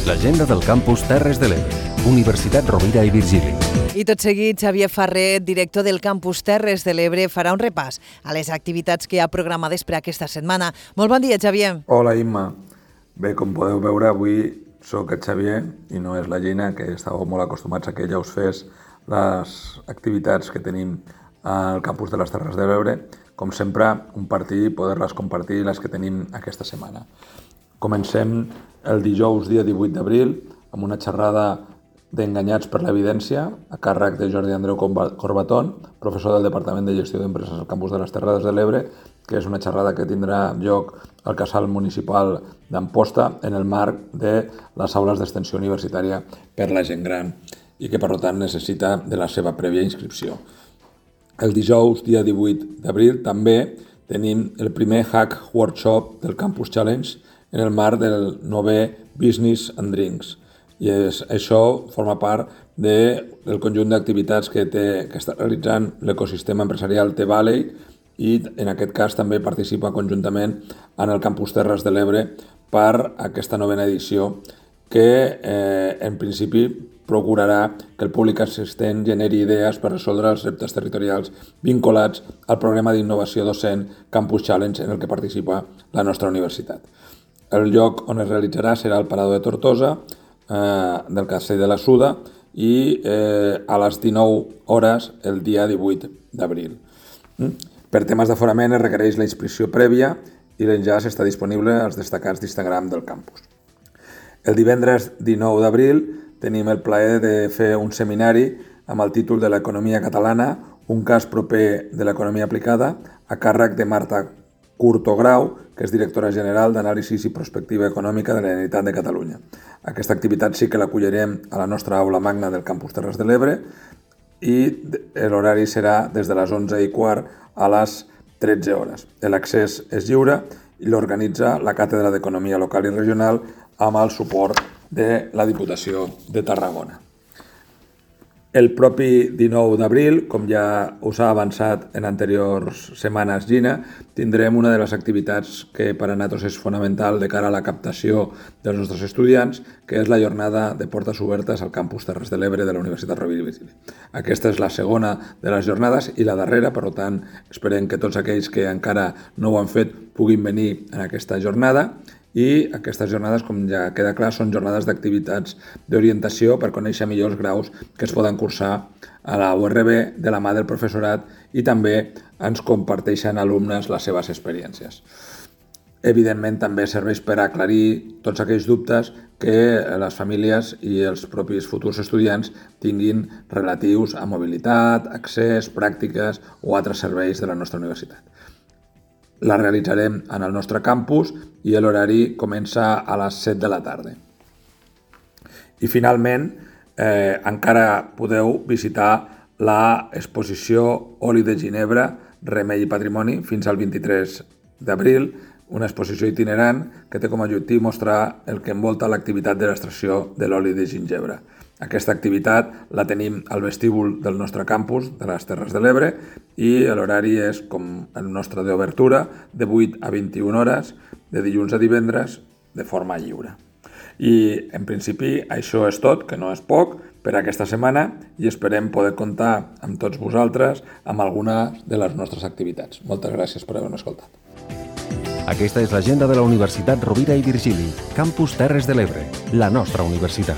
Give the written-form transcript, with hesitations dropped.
L'agenda del campus Terres de l'Ebre, Universitat Rovira i Virgili. I tot seguit, Xavier Ferrer, director del campus Terres de l'Ebre, farà un repàs a les activitats que ha programades per aquesta setmana. Molt bon dia, Xavier. Hola, Imma. Bé, com podeu veure, avui sóc el Xavier i no és la Gina, que estàveu molt acostumats a que ella us fes les activitats que tenim al campus de les Terres de l'Ebre. Com sempre, compartir i poder-les compartir les que tenim aquesta setmana. Comencem el dijous, dia 18 d'abril, amb una xerrada d'Enganyats per l'Evidència, a càrrec de Jordi Andreu Corbatón, professor del Departament de Gestió d'Empreses al campus de les Terres de l'Ebre, que és una xerrada que tindrà lloc al casal municipal d'Amposta en el marc de les aules d'extensió universitària per la gent gran i que, per tant, necessita de la seva prèvia inscripció. El dijous, dia 18 d'abril, també tenim el primer Hack Workshop del Campus Challenge en el marc del 9è Business and Drinks. I això forma part del conjunt d'activitats que està realitzant l'ecosistema empresarial T-Valley i en aquest cas també participa conjuntament en el Campus Terres de l'Ebre per aquesta novena edició que en principi procurarà que el públic assistent generi idees per resoldre els reptes territorials vinculats al programa d'innovació docent Campus Challenge en el que participa la nostra universitat. El lloc on es realitzarà serà el Parador de Tortosa, del Castell de la Suda i a les 19 hores el dia 18 d'abril. Per temes d'aforament es requereix la inscripció prèvia i l'enllaç està disponible als destacats d'Instagram del campus. El divendres 19 d'abril tenim el plaer de fer un seminari amb el títol de l'economia catalana, un cas proper de l'economia aplicada, a càrrec de Marta Curto-Grau, que és directora general d'Anàlisi i Prospectiva Econòmica de la Generalitat de Catalunya. Aquesta activitat sí que l'acollirem a la nostra aula magna del Campus Terres de l'Ebre i l'horari serà des de les 11:15 a les 13 hores. L'accés és lliure i l'organitza la Càtedra d'Economia Local i Regional amb el suport de la Diputació de Tarragona. El propi 19 d'abril, com ja us ha avançat en anteriors setmanes Gina, tindrem una de les activitats que per a nosaltres és fonamental de cara a la captació dels nostres estudiants, que és la jornada de portes obertes al campus Terres de l'Ebre de la Universitat Rovira i Virgili. Aquesta és la segona de les jornades i la darrera, per tant, esperem que tots aquells que encara no ho han fet puguin venir en aquesta jornada. I aquestes jornades, com ja queda clar, són jornades d'activitats d'orientació per conèixer millor els graus que es poden cursar a la URB de la mà del professorat i també ens comparteixen alumnes les seves experiències. Evidentment, també serveix per aclarir tots aquells dubtes que les famílies i els propis futurs estudiants tinguin relatius a mobilitat, accés, pràctiques o altres serveis de la nostra universitat. La realitzarem en el nostre campus i l'horari comença a les 7 de la tarda. I finalment, encara podeu visitar l'exposició Oli de Ginebra, Remei i Patrimoni fins al 23 d'abril, una exposició itinerant que té com a objectiu mostrar el que envolta l'activitat de l'extracció de l'oli de gingebre. Aquesta activitat la tenim al vestíbul del nostre campus de les Terres de l'Ebre i l'horari és com el nostre d'obertura, de 8 a 21 hores, de dilluns a divendres, de forma lliure. I, en principi, això és tot, que no és poc, per aquesta setmana i esperem poder comptar amb tots vosaltres amb alguna de les nostres activitats. Moltes gràcies per haver-nos escoltat. Aquesta és l'agenda de la Universitat Rovira i Virgili, Campus Terres de l'Ebre, la nostra universitat.